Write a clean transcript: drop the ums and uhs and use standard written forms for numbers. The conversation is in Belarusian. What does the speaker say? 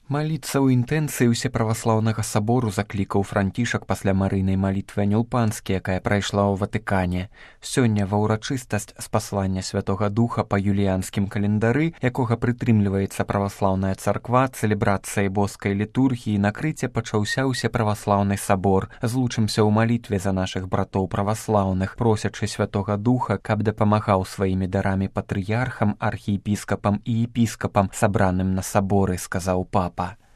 Маліцца ў інтэнцыі ўсеправаслаўнага сабору заклікаў Францішак пасля марыйнай малітвы Анёл-Панскі, якая прайшла ў Ватыкане. Сёння ва ўрачыстасць спаслання Святога Духа па юліянскім календары, якога прытрымліваецца праваслаўная царква, цэлебрацыяй боскай літургіі на Крыце пачаўся ўсеправаслаўны сабор. Злучымся ў малітве за нашых братоў праваслаўных, просячы Святога Духа, каб дапамагаў сваімі дарамі патрыярхам, архіепіскапам і епіскапам, сабраным на саборы, сказаў папа.